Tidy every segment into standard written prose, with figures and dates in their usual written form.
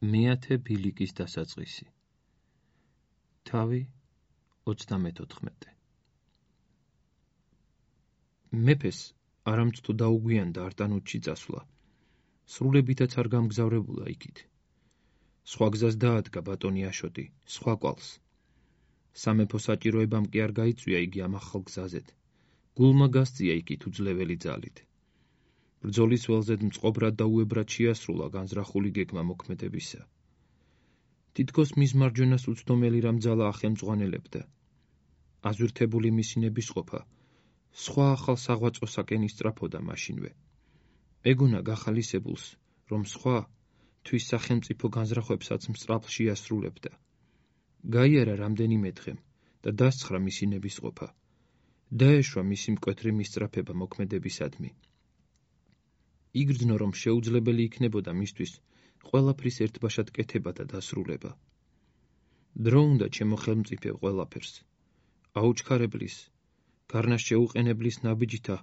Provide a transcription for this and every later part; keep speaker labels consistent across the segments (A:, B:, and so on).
A: მეათე ბილიკის დასაწყისი. თავი 34. მეფეს არამც თუ დაუგვიანდა არტანუთში წასვლა, სრულებითაც არ გამგზავრებულა იქით. სხვა გზას დაადგა ბატონი აშოტი, სხვა კვალს. სამეფო საჭიროებამ კი არ გაიწვია იგი ამ ახალ გზაზეთ. გულმა გასწია იქით უძლეველი ძალით. ბრძოლის ველზედ მწყობრად და უებრად შეასრულა განზრახული გეგმა მოქმედებისა. თითქოს მის მარჯვენას უცდომელი რამ ძალა ახელმძღვანელებდა. აზვირთებული მისი ნებისყოფა სხვა ახალ საღვაწოსაკენ ისწრაფოდა მაშინვე. ეგონა გახალისებულს, რომ სხვა თვის სახელმწიფო განზრახვებსაც მსწრაფ შეასრულებდა. გაიარა რამდენიმე დღემ და დასცხრა მისი ნებისყოფა. დაეშვა მისი მკვეთრი მისწრაფება მოქმედებისადმი. იგრძნო, რომ შეუძლებელი იქნებოდა მისთვის ყველაფრის ერთბაშად კეთება და დასრულება. დრო უნდა ჩემო ხელმწიფე ყველაფერს, აუჩქარებლის, გარნას შეუყენებლის ნაბიჯთა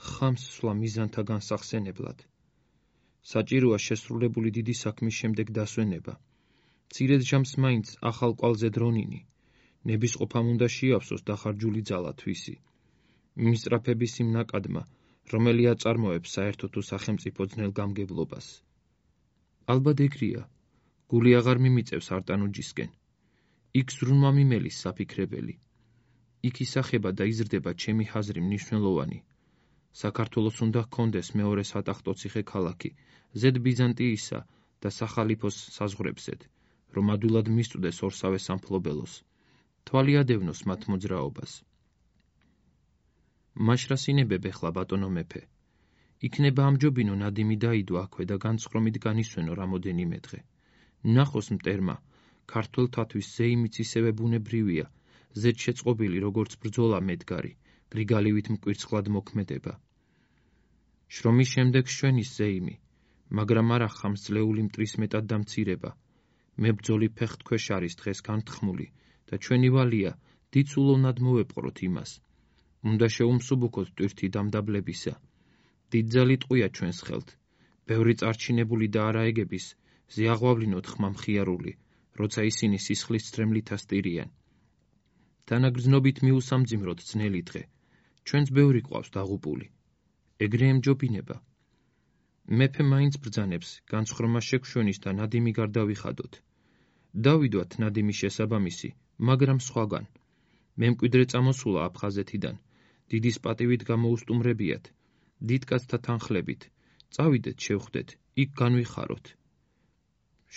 A: ხამს სვლა მიზანთა განსახსენებლად. საჭიროა შესრულებული დიდი საქმის შემდეგ დასვენება. მცირედ ჟამს მაინც ახალ კვალზე დრონინი, ნებისყოფამ უნდა შეავსოს დახარჯული ძალა თვისი. მისწრაფების იმ ნაკადმა, რომელი აწარმოებს საერთო თუ სახელმწიფო ძნელგამგებლობას. ალბათ ეგრეა, გული აღარ მიმიწევს არტანუჯისკენ. იქ ზრუნვა მიმელის საფიქრებელი. იქ ისახება და იზრდება ჩემი ჰაზრი მნიშვნელოვანი. საქართველოს უნდა ჰქონდეს მეორე სატახტო ციხე ქალაქი, ზედ ბიზანტიისა და სახალიფოს საზღვრებზედ, რომ ადვილად მისწვდეს ორსავე სამფლობელოს. თვალი ადევნოს მათ მოძრაობას. მაშრასინებებ ეხლა ბატონო მეფე. იქნება ამჯობინო ნადიმი დაიდო აქვე და განცხრომით განისვენო რამოდენიმე დღე. ნახოს მტერმა, ქართველთათვის ზეიმიც ისევე ბუნებრივია, ზედ შეწყობილი როგორც ბრძოლა მედგარი, გრიგალივით მკვირცხლად მოქმედება. შრომის შემდეგ შვენის ზეიმი, მაგრამ არა ხამს ძლეული მტრის მეტად დამცირება. მებრძოლი ფეხთქვეშ არის დღეს განთხმული და ჩვენი ვალია დიდსულოვნად მოვეპყროთ იმას. უნდა შეუმსუბუქოთ ტვირთი დამდაბლებისა. დიდძალი ტყვია ჩვენს ხელთ, ბევრი წარჩინებული და არაეგების ზიაღვავლინოთ ხმა მხიარული, როცა ისინი სისხლის ცრემლით ასტირიან. თანაგრძნობით მიუსამძიმროთ ძნელი დღე, ჩვენც ბევრი ყავს დაღუპული. ეგრე ემჯობინება. მეფე მაინც ბრძანებს, განცხრომა შეგშვენის და ნადიმი გარდავიხადოთ. დავიდვათ ნადიმის შესაბამისი, მაგრამ სხვაგან. მემკვიდრე წამოსულა აფხაზეთიდან, დიდის პატივით გამოუსტუმრებიათ. დიდკაცთა თანხლებით, წავიდეთ შევხვდეთ, იქ განვიხაროთ.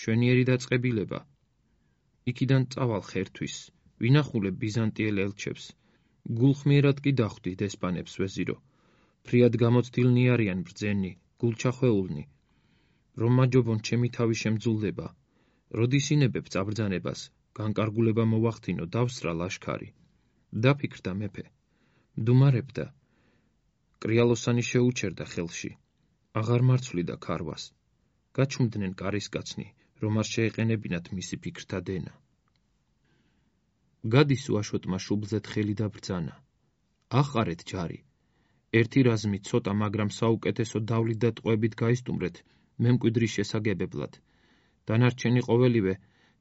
A: შვენიერი დაწყებილება. იქიდან წავალ ხერთვის, ვინახულებ ბიზანტიელ ელჩებს. გულხმიერად კი დახვდი დესპანებს ვეზირო. ფრიად გამოცდილნი არიან ბრძენი, გულჩახვეულნი. რომ მაჯობონ ჩემი თავი შემძულდება. როდის ინებებ წაბრძანებას, განკარგულება მოვახდინო, დავსრა ლაშქარი. დაფიქრდა მეფე. მდუმარებდა. კრიალოსანი შეუჩერდა ხელში. აღარ მარცვლიდა ქარვას. გაჩუმდნენ კარისკაცნი, რომ არ შეეყენებინათ მისი ფიქრთა დენა. გადის უაშოტმა შუბლზეთ ხელი და ბრძანა. აყარეთ ჯარი. ერთი რაზმი ცოტა, მაგრამ საუკეთესო დავლით და ტყვებით გაისტუმრეთ მემკვიდრის შესაგებებლად. დანარჩენი ყოველივე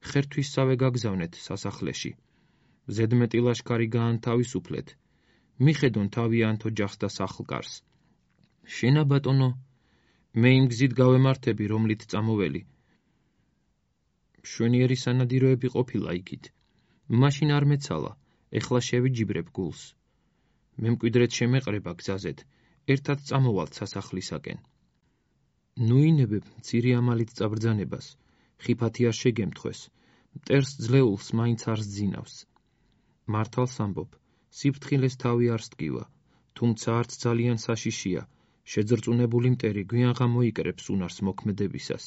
A: ხერთვისსავე გაგზავნეთ სასახლეში. ზედმეტი ლაშქარი გაანთავისუფლეთ. მიხედონ თავიანთ ოჯახს და სახლ-კარს. შენა ბატონო, მე იმ გზით გავემართები, რომლით წამოველი. შვენიერი სანადიროები ყოფილა იქით. მაშინ არ მეცალა, ეხლა შევიჯიბრებ გულს. მემკვიდრეთ შემეყრება გზაზეთ, ერთად წამოვალთ სასახლისაკენ. ნუ ინებებ მცირე ამალით წაბრძანებას, ხიფათი არ შეგემთხვეს, მტერს ძლეულს მაინც არ სძინავს. მართალს ამბობ, სიფრთხილეს თავი არ სტკივა, თუმცა არც ძალიან საშიშია, შეძრწუნებული მტერი გვიან გამოიკრებს უნარს მოქმედებისას.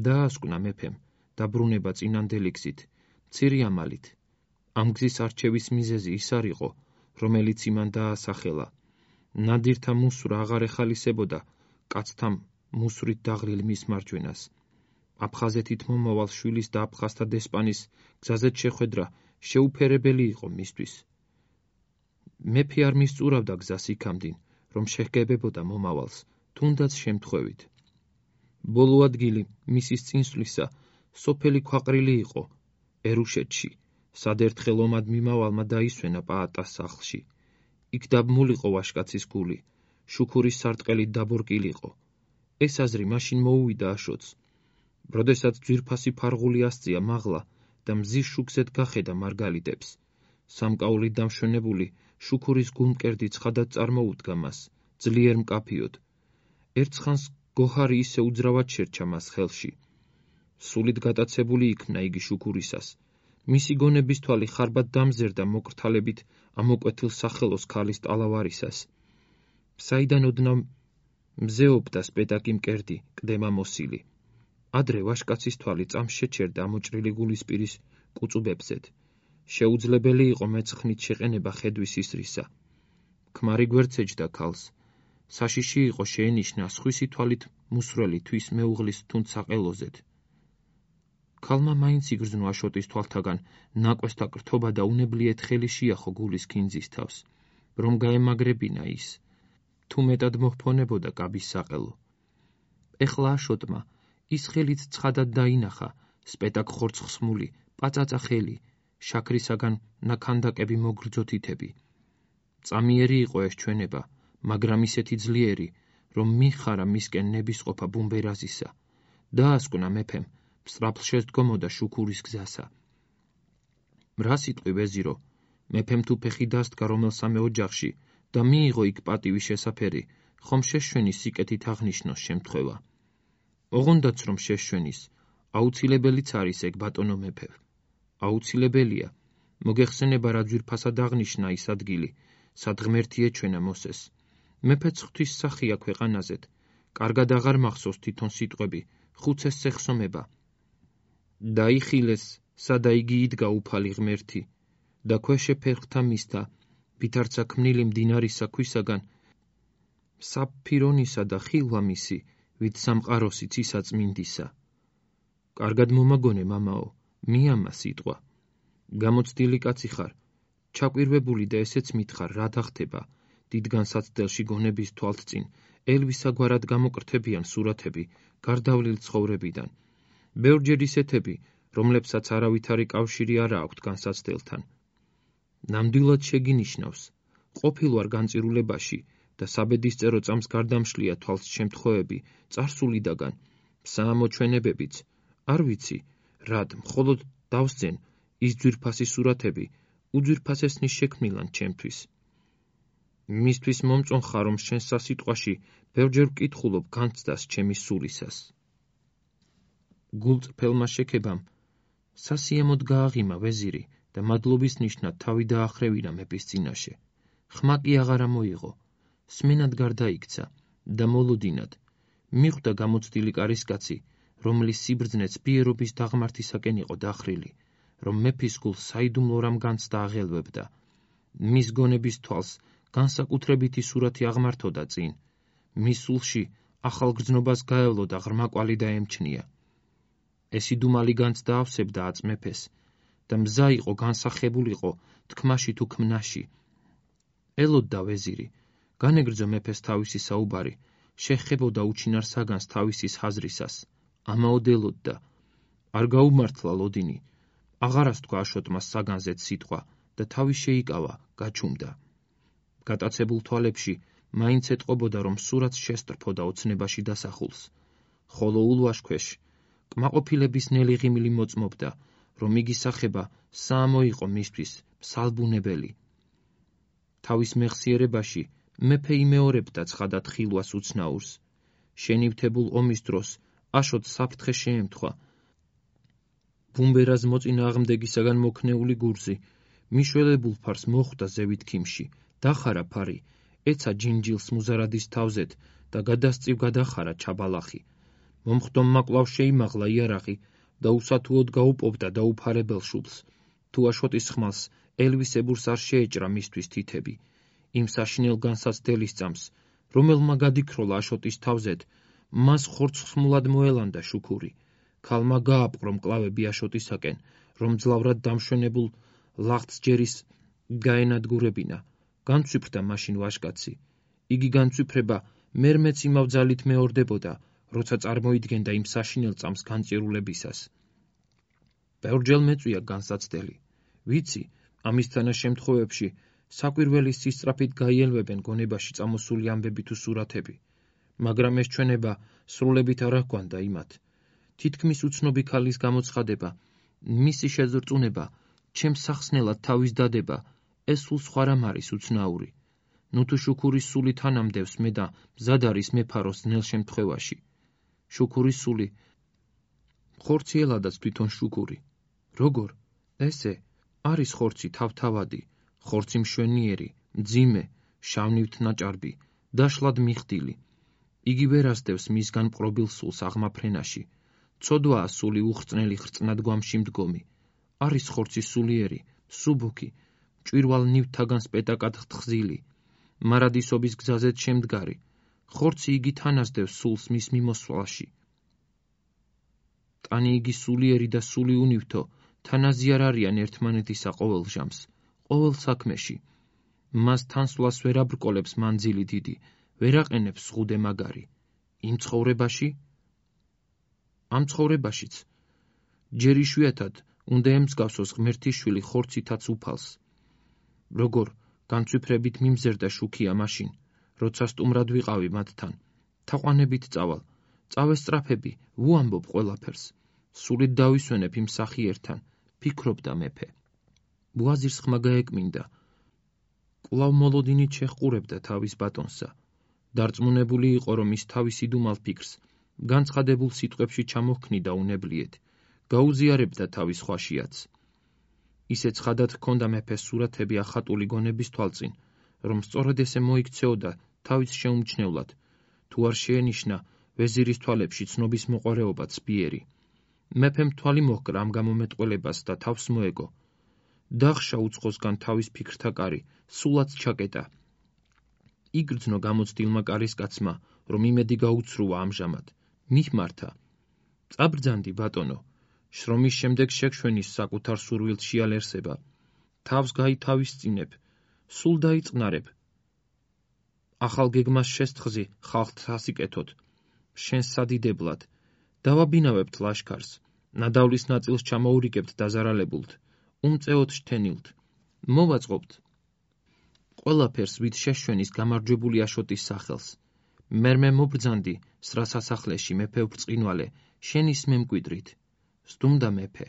A: დაასკვნა მეფემ, დაბრუნება წინანდელი გზით, მცირე ამალით. ამ გზის არჩევის მიზეზი ის არ იყო, რომელიც იმან დაასახელა. ნადირთა მუსვრა აღარ ეხალისებოდა კაცთა მუსვრით დაღლილ მის მარჯვენას. აფხაზეთით მომავალ შვილის და აფხაზთა დესპანის გზაზეთ შეხვედრა შეუფერებელი იყო მისთვის. მეფე არ მისწურავდა გზას იქამდინ, რომ შეგებებოდა მომავალს, თუნდაც შემთხვევით. ბოლო ადგილი მისის წინსვლისა სოფელი ქვაყრილი იყო ერუშეთში, სად ერთხელ ომად მიმავალმა დაისვენა პაატას სახლში. იქ დაბმულიყო ვაშკაცის გული, შუქურის სარტყელით დაბორკილიყო. ეს აზრი მაშინ მოუვიდა აშოტს. როდესაც ძვირფასი ფარღული ასწია მაღლა და მზის შუქზედ გახედა მარგალიტებს, სამკაულით დამშვენებული შუქურის გულმკერდი ცხადად წარმოუდგა მას, ძლიერ მკაფიოდ. ერთხანს გოჰარი ისე უძრავად შერჩა მას ხელში. სულით გატაცებული იქნა იგი შუქურისას. მისი გონების თვალი ხარბად დამზერდა მოკრთალებით ამოკვეთილ სახელოს ქალის ტალავარისას. საიდან ოდნავ მზეობდა სპეტაკი მკერდი, კდემა მოსილი. ადრე ვაშკაცის თვალი წამს შეჩერდა ამოჭრილი გულისპირის კუწუბებზედ. შეუძლებელი იყო მეცხნით შეყენება ხედვის ისრისა. ქმარი გვერდსეჯდა ქალს. საშიში იყო შეენიშნა სხვისი თვალით მუსრველი თვის მეუღლის თუნდ საყელოზედ. ქალმა მაინც იგრძნო აშოტის თვალთაგან ნაკვესთა კრთობა და უნებლიეთ ხელი შეახო გულის ქინძის თავს, რომ გაემაგრებინა ის, თუ მეტად მოჰფონებოდა კაბის საყელო. ეხლა აშოტმა ის ხელით ცხადად დაინახა სპეტაკ ხორცხსმული, პაწაწა ხელი, შაქრისაგან ნაქანდაკები მოგრძო თითები. წამიერი იყო ეს ჩვენება, მაგრამ ისეთი ძლიერი, რომ მიხარა მისკენ ნებისყოფა ბუმბერაზისა. დაასკვნა მეფემ, სწრაფ შედგომოდა შუქურის გზასა. რა სიტყვი ვეზირო, მეფემ თუ ფეხი დასდგა რომელსამე ოჯახში და მიიღო იქ პატივი შესაფერი, ხომ შეშვენი სიკეთით აღნიშნოს შემთხვევა. ოღონდაც რომ შეშვენის, აუცილებელიც არის ეგ ბატონო მეფე. აუცილებელია, მოგეხსენება რა ძვირფასად აღნიშნა ის ადგილი, სად ღმერთი ეჩვენა მოსეს. მეფეც ღვთის სახია ქვეყანაზედ, კარგად აღარ მახსოვს თვითონ სიტყვები, ხუცეს სეხსომება. დაიხილეს, სადა იგი იდგა უფალი ღმერთი, და ქვეშე ფერხთა მისთა, ვითარცა ქმნილი მდინარისა ქვისაგან, საფირონისა და ხილვა მისი, ვით სამყაროსი ცისა წმინდისა. კარგად მომაგონე, მამაო, მიამა სიტყვა. გამოცდილი კაცი ხარ, ჩაკვირვებული და ესეც მითხარ, რა დახტება, დიდ განსაცდელში გონების თვალთწინ, ელვისაგვარად გამოკრთებიან სურათები, გარდავლილ ცხოვრებიდან. ბევრჯერ ისეთები, რომლებსაც არავითარი კავშირი არა აქვთ განსაცდელთან. ნამდვილად შეგინიშნავს, ყოფილვარ განწირულებაში და საბედისწერო წამს გარდამშლია თვალს შემთხვევები, წარსულიდაგან, საამოჩვენებებიც, არ ვიცი, რად, მხოლოდ დავსძენ ის ძვირფასი სურათები, უძვირფასესნის შექმნილან ჩემთვის. მისთვის მომწონხარ, რომ შენ სასიტყვაში ბევრჯერ ვკითხულობ განცდას ჩემი სულისას. გულწრფელმა შექებამ სასიამოდ გააღიმა ვეზირი და მადლობის ნიშნად თავი დაახრევინა მეფის წინაშე. ხმა კი აღარა მოიღო, სმენად გარდაიქცა და მოლოდინად მიხვდა გამოცდილი კარისკაცი, რომლის სიბრძნეც ბიერობის დაღმართისაკენ იყო დახრილი, რომ მეფის გულს საიდუმლო რამ განცდა აღელვებდა. მის გონების თვალს განსაკუთრებითი სურათი აღმართოდა წინ. მის სულში ახალ გრძნობას გაევლოდა ღრმა კვალი დაემჩნია. ეს იდუმალი განცდა ავსებდა აწ მეფეს და მზა იყო განსახებულიყო თქმაში თუ ქმნაში. ელოდდა ვეზირი, განეგრძო მეფეს თავისი საუბარი, შეხებოდა უჩინარ საგანს თავისის ხაზრისას, ამაოდ ელოდდა. არ გაუმართლა ლოდინი, აღარასთქვა აშოტმა საგანზეც სიტყვა და თავი შეიკავა, გაჩუმდა. გატაცებულ თვალებში მაინც ეტყობოდა, რომ სურათს შესტრფოდა ოცნებაში დასახულს, ხოლო ულვაშქვეშ კმაყოფილების ნელი ღიმილი მოწმობდა, რომ იგი სახება საამო იყო მისთვის მსალბუნებელი. თავის მეხსიერებაში მეფე იმეორებდა ცხადად ხილვას უცნაურს. შენივთებულ ომის დროს აშოტს საფრთხე შეემთხვა. ბუმბერას მოწინააღმდეგისაგან მოქნეული გურზი მიშველებულ ფარს მოხვდა ზევით ქიმში, დახარა ფარი, ეცა ჯინჯილს მუზარადის თავზეთ და გადასწივ გადახარა ჩაბალახი. მომხდომმა კვლავ შეიმაღლა იარაღი და უსათუოდ გაუპოვდა დაუფარებელ შუბლს, თუ აშოტის ხმალს ელვისებურს არ შეეჭრა მისთვის თითები. იმ საშინელ განსაცდელის წამს, რომელმა გადიქროლა აშოტის თავზეთ, მას ხორცხსმულად მოელანდა შუქური. ქალმა გააპყრო მკლავები აშოტისაკენ, რომ ძლავრად დამშვენებულ ლახტს ჯერის გაენადგურებინა. განცვიფრდა მაშინ ვაშკაცი. იგი განცვიფრება მერმეც იმავ ძალით მეორდებოდა, როცა წარმოიდგენდა იმ საშინელ წამს განწირულებისას. ბევრჯერ მეწვია განსაცდელი. ვიცი, ამის თანაშემთხვევებში საკვირველის სისწრაფით გაიელვებენ გონებაში წამოსული ამბები თუ სურათები, მაგრამ ეს ჩვენება სრულებით არ ჰგვანდა იმათ. თითქმის უცნობი ქალის გამოცხადება, მისი შეზრწუნება, ჩემს სახსნელად თავის დადება, ეს სულ სხვა რამ არის უცნაური. ნუ თუ შუქურის სული თანამდევს მე და მზად არის მეფაროს ძნელ შემთხვევაში. შუქურის სული, ხორცი ელადაც თვითონ შუქური. როგორ? ესე არის ხორცი თავთავადი, ხორცი მშვენიერი, მძიმე, შავნივთ ნაჭარბი, დაშლად მიხდილი. იგი ვერ ასდევს მისგან მყრობილ სულს აღმა ფრენაში. ცოდვაა სული უხრწნელი ხრწნადგომში მდგომი. არის ხორცი სულიერი, მსუბუქი, მჭვირვალ ნივთთაგან სპეტაკად თხზილი, მარადისობის გზაზეც შემდგარი. ხორცი იგი თან ასდევს სულს მის მიმოსვლაში. ტანი იგი სულიერი და სული უნივთო თანაზი არ არიან ერთმანეთისა ყოველ ჟამს, ყოველ საქმეში. მას თანსვლას ვერ აბრკოლებს მანძილი დიდი, ვერ აყენებს ზღუდე მაგარი. იმ ცხოვრებაში? ამ ცხოვრებაშიც. ჯერ იშვიათად უნდა ემსგავსოს ღმერთის შვილი ხორცითაც უფალს. როგორ განცვიფრებით მიმზერდა შუქია მაშინ, როცა სტუმრად ვიყავი მათთან. თაყვანებით წავალ, წავესწრაფები, ვუამბობ ყველაფერს. სულით დავისვენებ იმ სახიერთან, ფიქრობდა მეფე. ვაზირს ხმა გაეკმინდა. კვლავ მოლოდინით შეჰყურებდა თავის ბატონსა. დარწმუნებული იყო, რომ ის თავის იდუმალ ფიქრს განცხადებულ სიტყვებში ჩამოჰქნიდა უნებლიეთ, გაუზიარებდა თავის ხვაშიაც. ისე ცხადად ჰქონდა მეფეს სურათები ახატული გონების თვალწინ, რომ სწორედ ესე მოიქცეოდა თავის შეუმჩნევლად, თუ არ შეენიშნა ვეზირის თვალებში ცნობის მოყვარეობა ცბიერი. მეფემ თვალი მოჰკრა ამ გამომეტყველებას და თავს მოეგო. დახშა უცხოსგან თავის ფიქრთა კარი, სულაც ჩაკეტა. იგრძნო გამოცდილმა კარისკაცმა, რომ იმედი გაუცრუა ამჟამად. მihmarta. წაბრძანდი, ბატონო, შრომის შემდეგ შეგშვენის საკუთარ სურვილთ შეალერსება. თავს გაითავისწინებ, სულ დაიწყნარებ. ახალ გეგმას შესთხზი ხალხთ სასიკეთოდ, შენს სადიდებლად. დავაბინავებთ ლაშქარს, ნადავლის ნაწილს ჩამოურიგებთ დაზარალებულთ, უმწეოდ შთენილთ. მოვაწყობთ ყველაფერს ვით შეშვენის გამარჯვებული აშოტის სახელს. მერმე მობრძანდი სრა სასახლეში მეფე ბრწყინვალე, შენის მემკვიდრით. სდუმდა მეფე,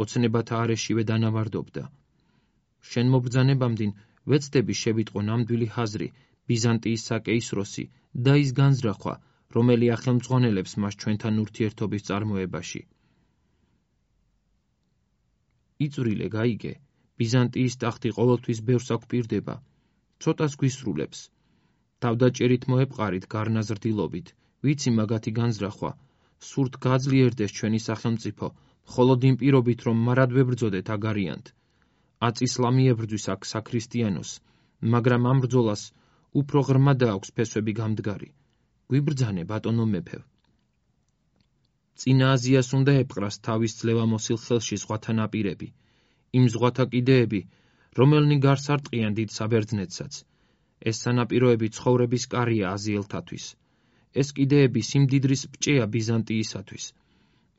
A: ოცნებათა არეშივე დანავარდობდა. შენ მობრძანებამდინ ვეცდები შევიტყო ნამდვილი ჰაზრი ბიზანტიის საკეისროსი და ის განზრახვა, რომელი ახელმძღვანელებს მას ჩვენთან ურთიერთობის წარმოებაში. იწვრილე გაიგე, ბიზანტიის ტახტი ყოველთვის ბევრს აგვპირდება, ცოტას გვისრულებს. თავდაჭერით მოეპყარით გარნაზრდილობით, ვიცი მაგათი განზრახვა, სურთ გაძლიერდეს ჩვენი სახელმწიფო, მხოლოდ იმ პირობით, რომ მარად ვებრძოდეთ აგარიანთ. აწისლა მიებრძვის აქ საქრისტიანოს, მაგრამ ამ ბრძოლას უფრო ღრმა დააქვს ფესვები გამდგარი. გვიბრძანე, ბატონო მეფე. წინა აზიას უნდა ეპყრას თავის ძლევამოსილ ხელში ზღვათა ნაპირები, იმ ზღვათა კიდეები, რომელნი გარს არტყიან დიდ საბერძნეთსაც. ეს სანაპიროები ცხოვრების კარია აზიელთათვის. ეს კიდეები სიმდიდრის ბჭეა ბიზანტიისათვის.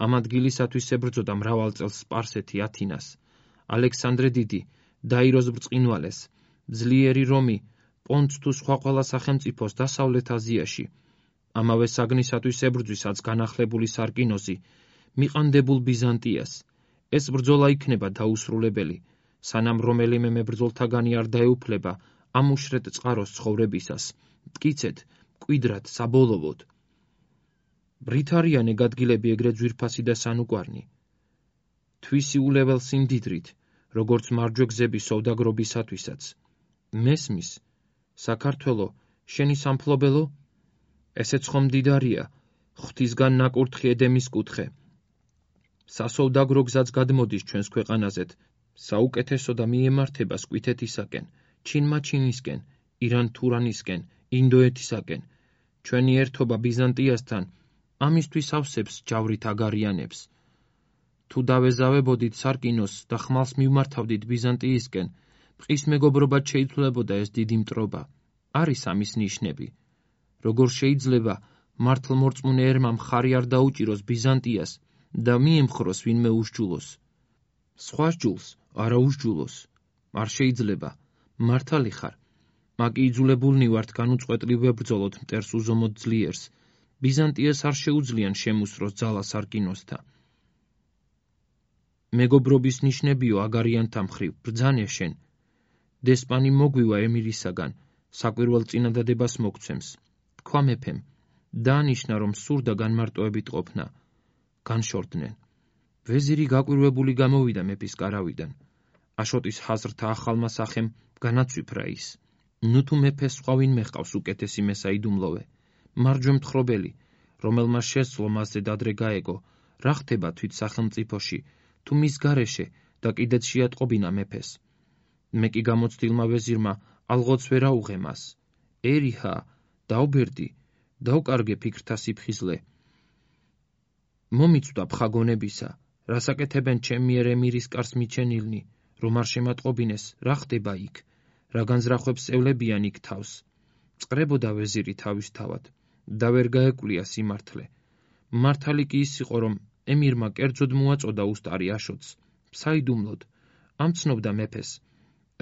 A: ამ ადგილისათვის ებრძოდა მრავალ წელს სპარსეთი ათინას, ალექსანდრე დიდი, დაიროს ბრწყინვალეს, ძლიერი რომი, პონტს თუ სხვა ყველა სახელმწიფოს დასავლეთ აზიაში. ამავე საგნისათვის ებრძვისაც განახლებული სარკინოზი, მიყანდებულ ბიზანტიას. ეს ბრძოლა იქნება დაუსრულებელი, სანამ რომელიმე მებრძოლთაგანი არ დაეუფლება ამ უშრეთ წყაროს ცხოვრებისას, მტკიცედ, მკვიდრად, საბოლოოდ. ბრით არიან ეგ ადგილები ეგრეთ ძვირფასი და სანუკვარნი. თვისი ულეველს სიმდიდრით, როგორც მარჯვე გზები სოვდაგრობისათვისაც. მესმის, საქართველო, შენი სამფლობელო? ესეც ხომ მდიდარია, ღვთისგან ნაკურთხი ედემის კუთხე. სასოვდაგრო გზაც გადმოდის ჩვენს ქვეყანაზეთ, საუკეთესო და მიემართება სკვითეთისაკენ, ჩინმაჩინისკენ, ირან-თურანისკენ, ინდოეთისაკენ. ჩვენი ერთობა ბიზანტიასთან ამისთვის ავსებს ჯავრით აგარიანებს. თუ დავეზავებოდით სარკინოს და ხმალს მივმართავდით ბიზანტიისკენ, ბყის მეგობრობად შეიცვლებოდა ეს დიდი მტრობა. არის ამის ნიშნები. როგორ შეიძლება მართლმორწმუნე ერმა მხარი არ დაუჭიროს ბიზანტიას და მიემხროს ვინმე უსჯულოს. სხვა სჯულს არა უსჯულოს. არ შეიძლება, მართალი ხარ. მაკი იძულებულნი ვართ განუწყვეტლივ ვებრძოლოთ მტერს უზომოდ ძლიერს. ბიზანტიას არ შეუძლიან შემუსროს ძალას არკინოსთა. მეგობრობის ნიშნებიო აგარიანთა მხრივ, ბრძანე შენ. დესპანი მოგვივა ემირისაგან, საკვირველ წინადადებას მოგცემს. თქვა მეფემ, დაანიშნა, რომ სურდა განმარტოებით ყოფნა. განშორდნენ. ვეზირი გაკვირვებული გამოვიდა მეფის კარავიდან. აშოტის ჰაზრთა ახალმა სახემ განაცვიფრა ის. ნუ თუ მეფეს სხვა ვინმე ჰყავს უკეთესი მესაიდუმლოვე, მარჯვე მთხრობელი, რომელმაც შესძლო მასზე დადრე გაეგო, რა ხდება თვით სახელმწიფოში, თუ მის გარეშე და კიდეც შეატყობინა მეფეს. მე კი გამოცდილმა ვეზირმა ალღოც ვერ აუღე მას. ერიჰა, დაუბერდი, დაუკარგე ფიქრთა სიფხიზლე. მომიცვდა ფხაგონებისა, რასაკეთებენ ჩემ მიერ ემირის კარს მიჩენილნი, რომ არ შემატყობინეს, რა ხდება იქ, რა განზრახვებს ევლებიან იქ თავს. წყრებოდა ვეზირი თავისთავად და ვერ გაეკვლია სიმართლე. მართალი კი ის იყო, რომ ემირმა კერძოდ მოაწოდა უსტარი აშოტს, საიდუმლოდ, ამცნობდა მეფეს.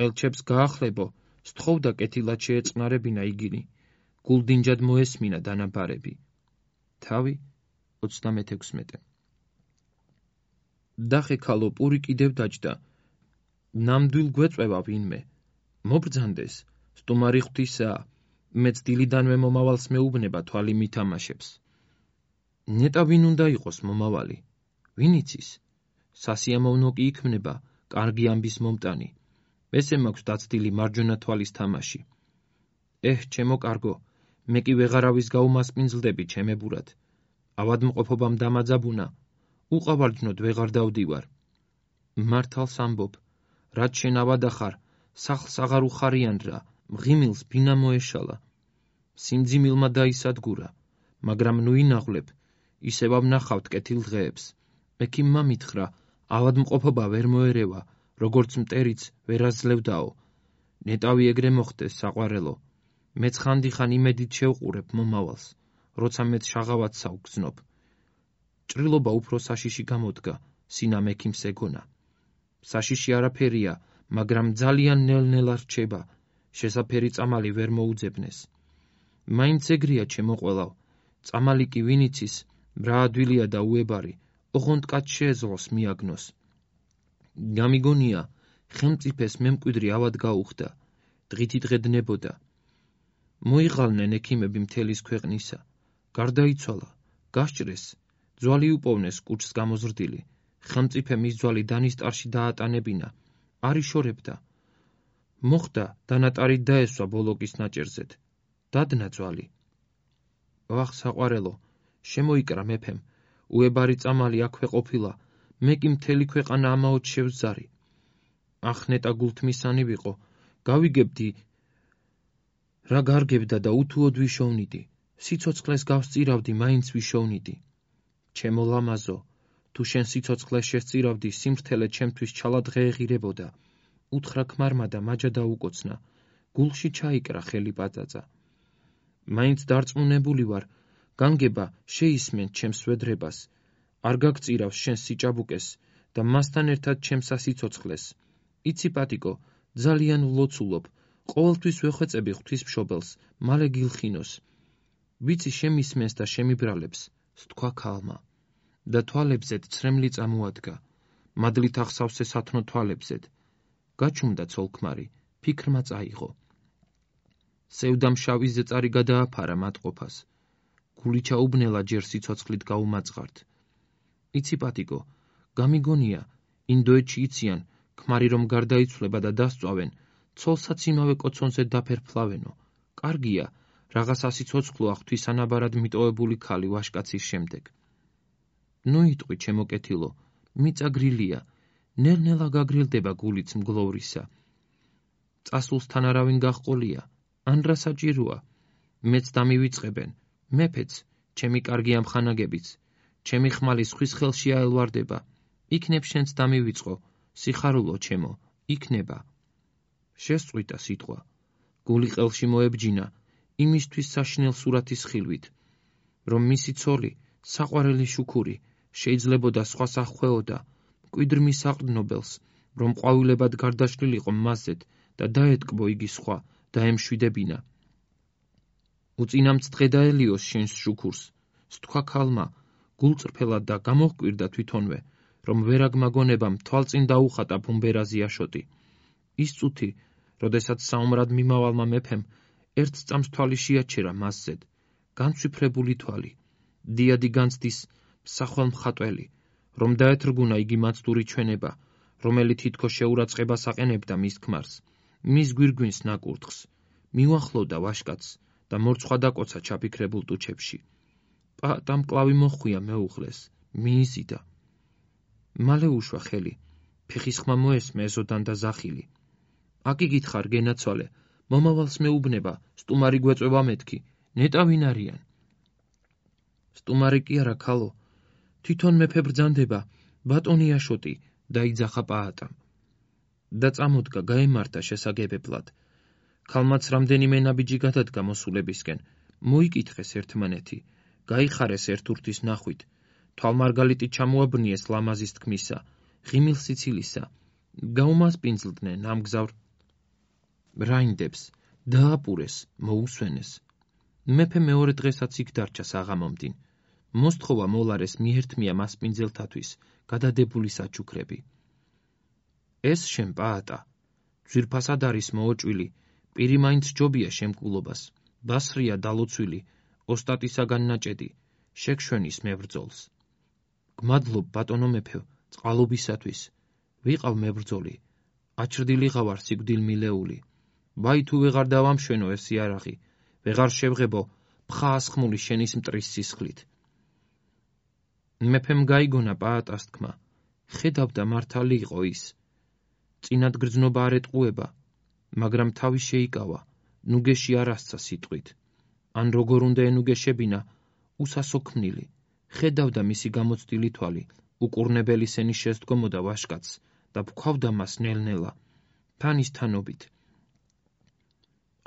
A: ელჩებს გაახლებო, სთხოვდა კეთილად შეეწყნარებინა იგინი, გულდინჯად მოესმინა დანაბარები. თავი 36. დახე ქალო, პური კიდევ დაჯდა. ნამდვილ გვეწვევა ვინმე. მობრძანდეს, სტუმარი ღვთისაა, მეც დილიდანვე მომავალს მეუბნება თვალი მითამაშებს. ნეტა ვინ უნდა იყოს მომავალი? ვინ იცის? სასიამოვნო კი იქმნება, კარგი ამბის მომტანი. ესე მაქვს დაცდილი მარჯვენა თვალის თამაში. ჩემო კარგო, მე კი ვეღარავის გაუმასპინძლდები ჩემებურად. ავადმყოფობამ დამაძაბუნა, უყავარჯნოდ ვეღარ დავდივარ. მართალს ამბობ, რაც შენ ავადახარ, სახლს აღარ უხარიან რა, მღიმილს ბინა მოეშალა. სიმძიმილმა დაისადგურა, მაგრამ ნუ ინაღვლებ, ისევ ვნახავთ კეთილ დღეებს. ექიმმა მითხრა, ავადმყოფობა ვერ მოერევა, როგორც მტერიც ვერ აძლევდაო. ნეტავი ეგრე მოხდეს, საყვარელო. მეც ხანდახან იმედით შევყურებ მომავალს, როცა მეც შაღავად საუგზნობ. ჭრილობა უფრო საშიში გამოდგა, სინამ ექიმს ეგონა. საშიში არაფერია, მაგრამ ძალიან ნელ-ნელა რჩება, შესაფერი წამალი ვერ მოუძებნეს. მაინც ეგრეა ჩემო ყველავ, წამალი კი ვინ იცის, რა ადვილია და უებარი, ოღონდ კაც შეეძლოს მიაგნოს. გამიგონია, ხელმწიფეს მემკვიდრი ავად გაუხდა, დღითი დღე დნებოდა. მოიღალნენ ექიმები მთელის ქვეყნისა, გარდაიცვალა, გასჭრეს, ძვალი უპოვნეს კუჭს გამოზრდილი, ხელმწიფე მის ძვალი დანისტარში დაატანებინა, არ იშორებდა. მოხდა, დანატარით დაესვა ბოლოკის ნაჭერზედ, დადნა ძვალი. ვახ, საყვარელო, შემოიკრა მეფემ, უებარი წამალი აქვე ყოფილა, მე კი მთელი ქვეყანა ამაოდ შევზარი. ახ, ნეტა გულთმისანი ვიყო, გავიგებდი, რა გარგებდა და უთუოდ ვიშოვნიდი, სიცოცხლეს გავსწირავდი, მაინც ვიშოვნიდი. ჩემო ლამაზო, თუ შენ სიცოცხლეს შესწირავდი, სიმრთელე ჩემთვის ჩალად ღეღირებოდა. უთხრა ქმარმა და მაჯა დაუკოცნა, გულში ჩაიკრა ხელი პაწაწა. მაინც დარწმუნებული ვარ, განგება შეისმენ ჩემს ვედრებას, არ გაგწირავს შენ სიჭაბუკეს და მასთან ერთად ჩემს ასიცოცხლეს. იცი პატიკო, ძალიან ვლოცულობ, ყოველთვის ვეხვეწები ღვთისმშობელს, მალე გილხინოს. ვიცი შემისმენს და შემიბრალებს, სთქვა ქალმა. და თვალებზედ ცრემლი წამოადგა, მადლით ახსავსე სათნო თვალებზედ. გაჩუმდა ცოლქმარი, ფიქრმა წაიღო. სევდამ შავი ზეწარი გადააფარა მატყოფას. გული ჩაუბნელა ჯერ სიცოცხლით გაუმაწყართ. იცი პატიკო, გამიგონია, ინდოეთში იციან, ქმარი რომ გარდაიცვლება და დასწვავენ, ცოლსაც იმავე კოცონზე დაფერფლავენო. კარგია, რაღაც ასიცოცხლოა ღვთისანაბარად მიტოვებული ქალი ვაშკაცის შემდეგ. ნუ იტყვი, ჩემო კეთილო, მიწაგრილია, ნელ-ნელა გაგრილდება გულიც მგლოვრისა. წასულსთან არავინ გაჰყოლია, ან რა საჭიროა, მეც დამივიწყებენ, მეფეც, ჩემი კარგი ამხანაგებიც, ჩემი ხმალი სხვის ხელში აელვარდება, იქნებ შენც დამივიწყო, სიხარულო ჩემო, იქნება. შესწყვიტა სიტყვა, გული ყელში მოებჯინა, იმისთვის საშინელ სურათის ხილვით. რომ მისი ცოლი, საყვარელი შუქური, შეიძლებოდა სხვა სახვეოდა, მკვიდრ მის საყრდნობელს, რომ ყვავილებად გარდაშლილიყო მასზედ და დაეტკბო იგი სხვა, დაემშვიდებინა. უწინამც დღე დაელიოს შენს შუქურს, სთქვა ქალმა, გულწრფელად და გამოჰკვირდა თვითონვე, რომ ვერაგმაგონებამ თვალწინ დაუხატა ბუმბერაზი აშოტი. ის წუთი, როდესაც საომრად მიმავალმა მეფემ ერთ წამს თვალი შეაჩერა მასზედ, განცვიფრებული თვალი, დიადი განცდის მსახვალ მხატველი, რომ დაეთრგუნა იგი მაცდური ჩვენება, რომელიც თითქოს შეურაცხებას აყენებდა მის ქმარს, მის გვირგვინს ნაკურთხს, მიუახლოვდა ვაშკაცს და მორცხვა დაკოცა ჩაფიქრებულ ტუჩებში. პაატამ კლავი მოხვია მეუღლეს, მიიზიდა. მალე უშვა ხელი, ფეხის ხმა მოესმე ეზოდან და ზახილი. აქ იგითხარ გენაცვალე, მომავალს მეუბნება, სტუმარი გვეწვევა მეთქი, ნეტა ვინ არიან? სტუმარი კი არა ქალო, თვითონ მეფე ბრძანდება, ბატონი აშოტი, დაიძახა პაატამ. და წამოდგა გაემართა შესაგებებლად. ქალმაც რამდენიმე ნაბიჯი გადადგა მოსულებისკენ, მოიკითხეს ერთმანეთი, გაიხარეს ერთურთის ნახვით, თვალმარგალიტი ჩამოაბრნიეს ლამაზის თქმისა, ღიმილ სიცილისა, გაუმასპინძლდნენ ამგზავრ რაინდებს, დააპურეს, მოუსვენეს. მეფე მეორე დღესაც იქ დარჩა საღამომდინ. მოსთხოვა მოლარეს მიერთმია მასპინძელთათვის გადადებული საჩუქრები. ეს შენ პაატა, ძვირფასად არის მოოჭვილი, პირი მაინც ჯობია შემკულობას, დასრია დალოცვილი, ოსტატისაგან ნაჭედი, შეგშვენის მებრძოლს. გმადლობ ბატონო მეფე, წყალობისათვის, ვიყავ მებრძოლი, აჩრდილიღა ვარ სიკვდილმილეული. ვაი თუ ვეღარ დავამშვენო ეს იარაღი, ვეღარ შევღებო ფხა ასხმული შენის მტრის სისხლით. მეფემ გაიგონა პაატას თქმა, ხედავდა მართალი იყო ის. წინად გრძნობა არ ეტყუება, მაგრამ თავი შეიკავა, ნუგეში არ ასცა სიტყვით. ან როგორ უნდა ენუგეშებინა, უსასო ქმნილი, ხედავდა მისი გამოცდილი თვალი, უკურნებელი სენის შესდგომოდა ვაშკაცს და ფქვავდა მას ნელ-ნელა, თანის თანობით.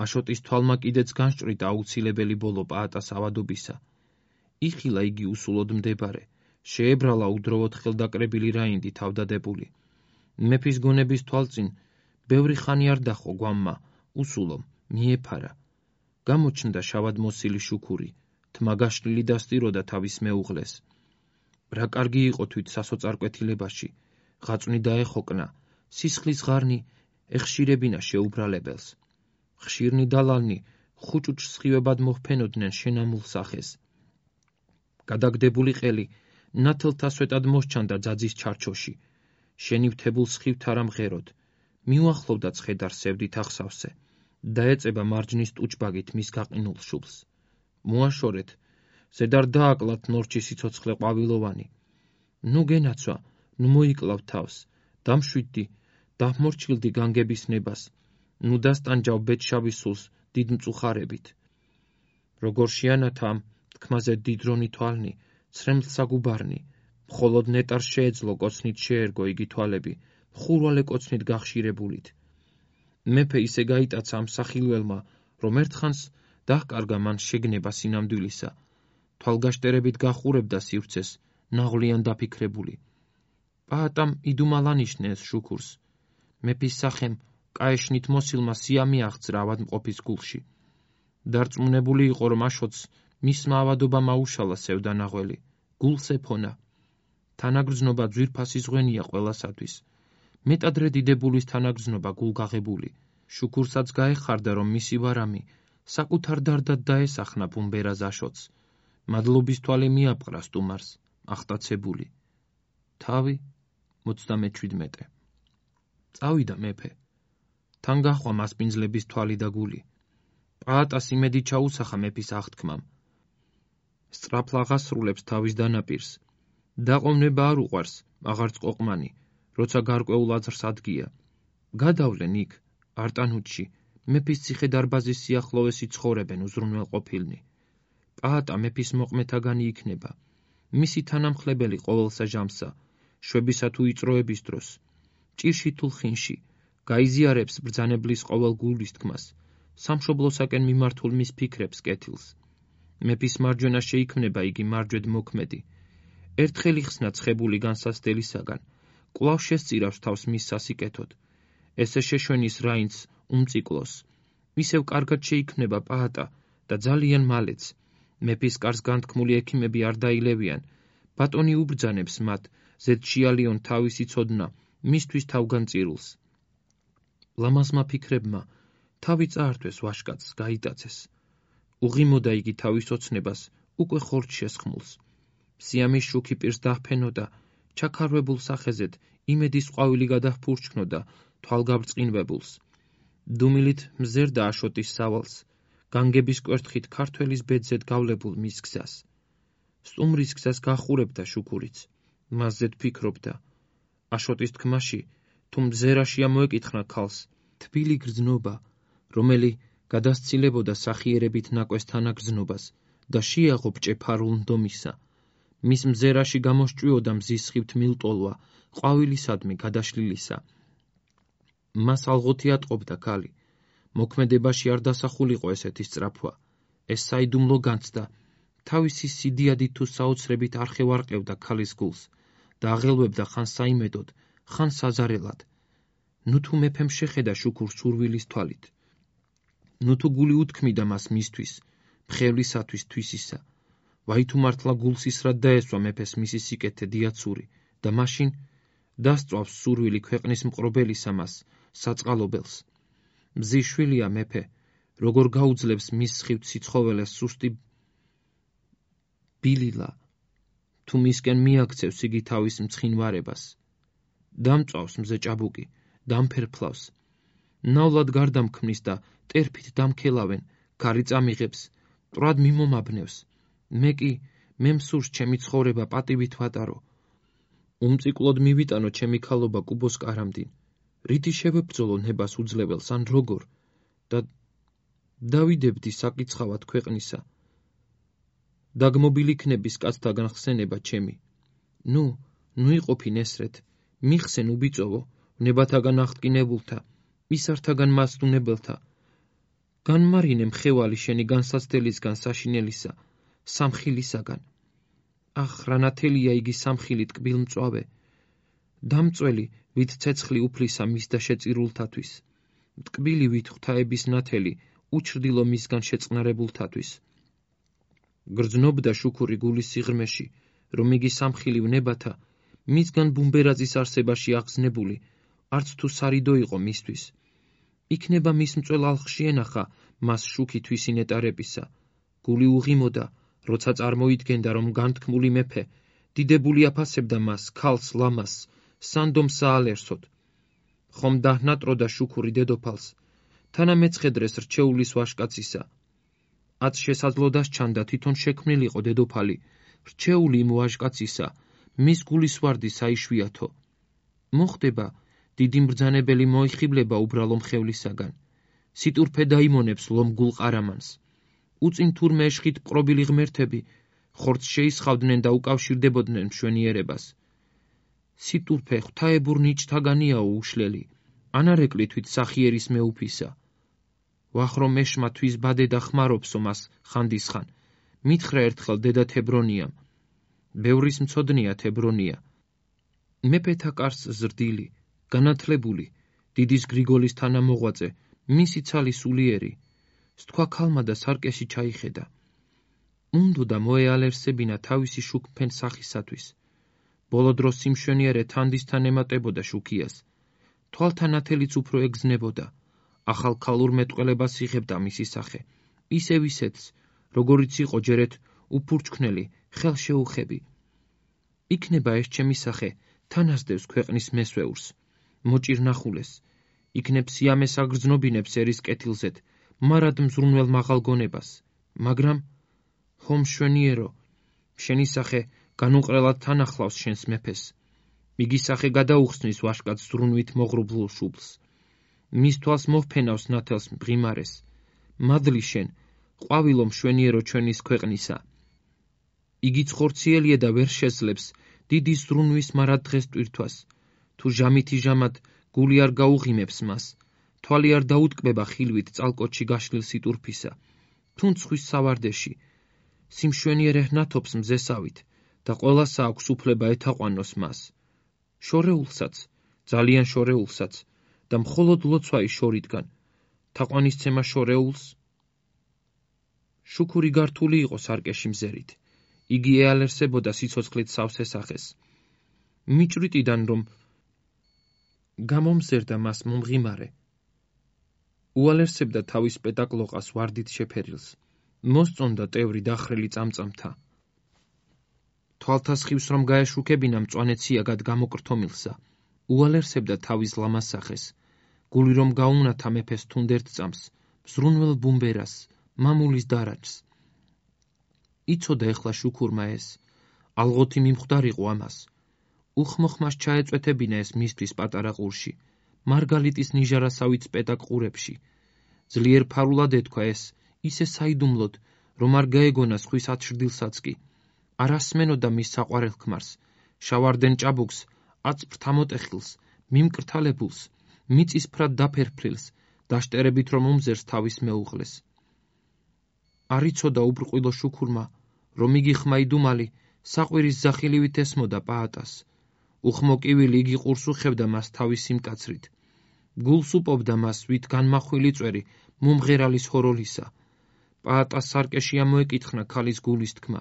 A: აშოტის თვალმა კიდეც განსჭრიდა აუცილებელი ბოლო პაატას ავადობისა. იხილა იგი უსულოდ მდებარე, შეებრალა უდროვოდ ხელდაკრებილი რაინდი თავდადებული. მეფის გონების თვალწინ ბევრი ხანი არ დახო გვამმა, უსულო, მიეფარა. გამოჩნდა შავად მოსილი შუქური, თმა გაშლილი დასტიროდა თავის მეუღლეს. რა კარგი იყო თვით სასოწარკვეთილებაში, ღაწვნი დაეხოკნა, სისხლის ღარნი ეხშირებინა შეუბრალებელს. ხშირნი დალალნი ხუჭუჭს სხივებად მოჰფენოდნენ შენამულ სახეს. გადაგდებული ყელი ნათელთა სვეტად მოსჩანდა ძაძის ჩარჩოში, შენივთებულ სხივთ არ ამღეროდ, მიუახლოვდა ცხედარ სევდით ახსავსე, დაეწება მარჯნის ტუჩბაგით მის გაყინულ შუბლს. მოაშორეთ, ზედარ დააკლათ ნორჩი სიცოცხლე ყვავილოვანი. ნუ გენაცვა, ნუ მოიკლავ თავს, დამშვიდდი, დამორჩილდი განგების ნებას, ნუ დასტანჯავ ბედშავის სულს დიდ მწუხარებით. როგორ შეანათა ამ თქმაზე დიდრონი თვალნი, ცრემლ საგუბარნი, მხოლოდ ნეტარს შეეძლო კოცნით შეერგო იგი თვალები, ხურვალე კოცნით გახშირებულით. მეფე ისე გაიტაცა ამ სახილველმა, რომ ერთხანს დაჰკარგა მან შეგნება სინამდვილისა, თვალგაშტერებით გახურებდა სივრცეს, ნაღვლიან დაფიქრებული. პაატამ იდუმალ ანიშნე ეს შუქურს. მეფის სახემ კაეშნით მოსილმა სია მიაღწრა ავადმყოფის გულში. დარწმუნებული იყო, რომ აშოტს მისმა ავადობამ აუშალა სევდანაღველი, გულს ეფონა. თანაგრძნობა ძვირფასი ზღვენია ყველასათვის. მეტადრე დიდებულის თანაგრძნობა გულგაღებული. შუქურსაც გაეხარდა, რომ მისი ვარამი საკუთარ დარდად დაესახნა ბუმბერაზ აშოტს. მადლობის თვალე მიაპყრა სტუმარს, ახტაცებული. თავი 37. წავიდა მეფე. თან გაჰყვა მასპინძლების თვალი და გული. პაატას იმედი ჩაუსახა მეფის აღთქმამ. სწრაფლა აღასრულებს თავის დანაპირს. დაყოვნება არ უყვარს, აღარც ყოყმანი, როცა გარკვეულ აზრს ადგია. გადავლენ იქ, არტანუთში, მეფის ციხე დარბაზის სიახლოვეს იცხოვრებენ უზრუნველყოფილნი. პაატა მეფის მოყმეთაგანი იქნება. მისი თანამხლებელი ყოველსა ჟამსა, შვებისა თუ იწროების დროს, ჭირში თუ ლხინში, გაიზიარებს ბრძანებლის ყოველ გულის თქმას, სამშობლოსაკენ მიმართულ მის ფიქრებს კეთილს. მეფის მარჯვენა შეიქმნება იგი მარჯვედ მოქმედი. ერთხელ იხსნა ცხებული განსაცდელისაგან, კვლავ შესწირავს თავს მის სასიკეთოდ. ესე შეშვენის რაინც უმწიკლოს. ისევ კარგად შეიქმნება პაატა და ძალიან მალეც. მეფის კარს განთქმული ექიმები არ დაილევიან. ბატონი უბრძანებს მათ, ზედშიალიონ თავისი ცოდნა, მისთვის თავგან წირულს. ლამაზმა ფიქრებმა თავი წაართვეს ვაშკაცს, გაიტაცეს. უღიმოდა იგი თავის ოცნებას, უკვე ხორცს შესხმულს. სიამის შუქი პირს დაჰფენოდა, ჩაქარვებულ სახეზედ იმედის ყვავილი გადაჰფურჩქნოდა თვალგაბრწყინვებულს. დუმილით მზერდა აშოტის სავალს, განგების კვერთხით ქართველის ბედზედ გავლებულ მის გზას. სტუმრის გზას გახურებდა შუქურიც, მასზედ ფიქრობდა. აშოტის თქმაში, თუ მზერაში ამოეკითხნა ქალს, თბილი გრძნობა, რომელი გადასცილებოდა სახიერებით ნაკვეს თანაგრძნობას და შეაღო ბჭეფარულ ნდომისა. მის მზერაში გამოსჭვიოდა მზის სხივთ მილტოლვა, ყვავილისადმი გადაშლილისა. მას ალღოთი ატყობდა ქალი. მოქმედებაში არ დასახულიყო ესეთი სწრაფვა. ეს საიდუმლო განცდა, თავისი სიდიადით თუ საოცრებით არ ხევარყევდა ქალის გულს და აღელვებდა ხან საიმედოდ, ხან საზარელად. ნუ თუ მეფემ შეხედა შუქურს სურვილის თვალით. ნუ თუ გული უთქმიდა მას მისთვის, მხევლისათვის თვისისა. ვაი თუ მართლა გულს ისრად დაესვა მეფეს მისი სიკეთე დიაცური და მაშინ დასწვავს სურვილი ქვეყნის მყრობელისა მას, საწყალობელს. მზის შვილია მეფე, როგორ გაუძლებს მის სხივთ სიცხოველეს სუსტი ბილილა, თუ მისკენ მიაქცევს იგი თავის მცხინვარებას. დამწვავს მზე ჭაბუკი, დამფერფლავს. ნავლად გარდამქმნის და ტერფით დამქელავენ, ქარი წამიღებს, მტრად მიმომაბნევს. მე მსურს ჩემი ცხოვრება პატივით ვატარო. უმწიკლოდ მივიტანო ჩემი ქალობა კუბოს კარამდინ. რითი შევებრძოლო ნებას უძლებელს ან როგორ და დავიდებდი საკიცხავად ქვეყნისა. დაგმობილ იქნების კაცთაგან ხსენება ჩემი. ნუ იყოფინ ესრეთ, მიხსენ უბიწოვო, ნებათაგან აღტკინებულთა, ისართაგან მასტუნებელთა. განმარინე მხევალი შენი განსაცდელისგან საშინელისა, სამხილისაგან. ახ, რანათელია იგი სამხილი ტკბილ მწვავე. დამწველი, ვით ცეცხლი უფლისა მისდა შეწირულთათვის. ტკბილი ვით ღვთაების ნათელი, უჩრდილო მისგან შეწყნარებულთათვის. გრძნობდა შუქური გულის სიღრმეში, რომ იგი სამხილი ვნებათა, მისგან ბუმბერაძის არსებაში აღზნებული, არც თუ სარიდო იყო მისთვის. იქნება მის მწველ ალხში ენახა მას შუქი თვისი ნეტარებისა. გული უღიმოდა, როცა წარმოიდგენდა, რომ განთქმული მეფე დიდებული აფასებდა მას, ქალს ლამას, სანდომ საალერსოდ. ხომ დაჰნატროდა შუქური დედოფალს, თანამეცხედრეს რჩეულის ვაშკაცისა. აც შესაძლოდას ჩანდა თვითონ შექმნილიყო დედოფალი, რჩეული იმ ვაშკაცისა, მის გულის ვარდი საიშვიათო. მოხდება, დიდი მბრძანებელი მოიხიბლება უბრალო მხევლისაგან. სიტურფე დაიმონებს ლომგულ ყარამანს. უწინ თურმე ეშხით მყრობილი ღმერთები, ხორცს შეისხავდნენ და უკავშირდებოდნენ მშვენიერებას. სიტურფე ღვთაებურ ნიჭთაგანიაო უშლელი, ანარეკლი თვით სახიერის მეუფისა. ვახრო მეშმა თვის ბადე და ხმარობსო მას ხანდისხან. მითხრა ერთხელ დედა თებრონიამ. ბევრის მცოდნია თებრონია. მეფეთა კარს ზრდილი, განათლებული, დიდის გრიგოლის თანამოღვაწე, მისი ცალი სულიერი. სთქვა ქალმა და სარკეში ჩაიხედა. უნდოდა მოეალერსებინა თავისი შუქფენ სახისათვის. ბოლო დროს სიმშვენიერე თანდისთან ემატებოდა შუქიას. თვალთა ნათელიც უფრო ეგზნებოდა. ახალ ქალურ მეტყველებას იღებდა მისი სახე. ისევ ისეთს, როგორიც იყო ჯერეთ უფურჩქნელი, ხელშეუხები. იქნება ეს ჩემი სახე, თანასდევს ქვეყნის მესვეურს, მოჭირნახულეს. იქნებ სიამეს აგრძნობინებს ერის კეთილზეთ, მარად მზრუნველ მაღალ გონებას. მაგრამ ხომ მშვენიერო, შენი სახე განუყრელად თანახლავს შენს მეფეს. იგი სახე გადაუხსნის ვაშკაც ზრუნვით მოღრუბლულ შუბლს. მის თვალს მოვფენავს ნათელს მღიმარეს. მადლი შენ, ყვავილო მშვენიერო ჩვენის ქვეყნისა. იგი ცხორციელია და ვერ შეძლებს დიდი ზრუნვის მარად დღეს ტვირთვას. თუ ჟამითი ჟამად გული არ გაუღიმებს მას, თვალი არ დაუტკბება ხილვით წალკოჩი გაშლილ სიტურფისა, თუ მცხვის სავარდეში, სიმშვენიერ ეჰნათობს მზესავით და ყველასა აქვს უფლება ეთაყვანოს მას. შორეულსაც, ძალიან შორეულსაც და მხოლოდ ლოცვა-ის შორიდან, თაყვანისცემა შორეულს? შუქური გართული იყო სარკეში მზერით. იგი ეალერსებოდა სიცოცხლით სავსე სახეს. მიჭრიტიდან რომ გამომზერდა მას მომღიმარე. უალერსებდა თავის პედაკლოყას ვარდით შეფერილს. მოსწონდა ტევრი დახრილი წამწამთა. თვალთასხივს რომ გაეშუქებინა მწვანე ციაგად გამოკრთომილსა, უალერსებდა თავის ლამასახეს, გული რომ გაუნათა მეფეს თუნდერთ წამს, მზრუნველ ბუმბერას, მამულის დარაჯს. იცოდა ეხლა შუქურმა ეს, ალღოთი მიმხვდარიყო ამას. უხმოხმას ჩაეწვეთებინა ეს მისთვის პატარა ყურში, მარგალიტის ნიჟარასავით სპეტაკ ყურებში. ძლიერ ფარულად ეთქვა ეს, ისე საიდუმლოდ, რომ არ გაეგონა სხვის ათშრდილსაც კი. არ ასმენოდა მის საყვარელ ქმარს, შავარდენ ჭაბუკს, აწფრთ ამოტეხილს, მიმკრთალებულს, მიწისფრად დაფერფრილს, დაშტერებით რომ უმზერს თავის მეუღლეს. არ იცოდა უბრყვილო შუქურმა, რომ იგი ხმაიდუმალი საყვირის ზახილივით ესმოდა პაატას. უხმო კივილი იგი ყურს უხევდა მას თავისი მკაცრით. გულს უპობდა მას ვით განმახვილი წვერი მომღერალის ჰოროლისა. პაატას სარკეში ამოეკითხნა ქალის გულის თქმა.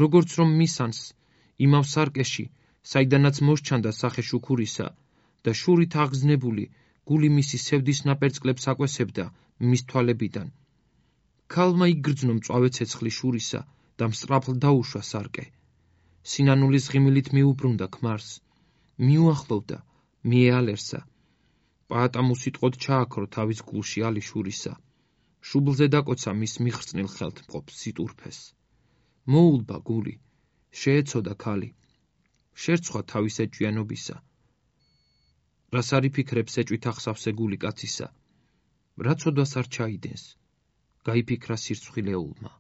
A: როგორც რომ მისანს, იმავ სარკეში, საიდანაც მოსჩანდა სახე შუქურისა და შურით აღგზნებული გული მისი სევდის ნაპერწკლებს აკვესებდა მის თვალებიდან. ქალმა იგრძნო მწვავე ცეცხლი შურისა და მსწრაფლ დაუშვა სარკე. სინანულის ღიმილით მიუბრუნდა ქმარს, მიუახლოვდა, მიეალერსა. პაატამ უსიტყვოდ ჩააქრო თავის გულში ალი შურისა. შუბლზე დაკოცა მის მიხრწნილ ხელთ მყოფ სიტურფეს. მოულბა გული, შეეცოდა ქალი. შერცხვა თავის ეჭვიანობისა. რას არ იფიქრებს ეჭვით ახსავსე გული კაცისა, რა ცოდვას არ ჩაიდენს, გაიფიქრა სირცხვილეულმა.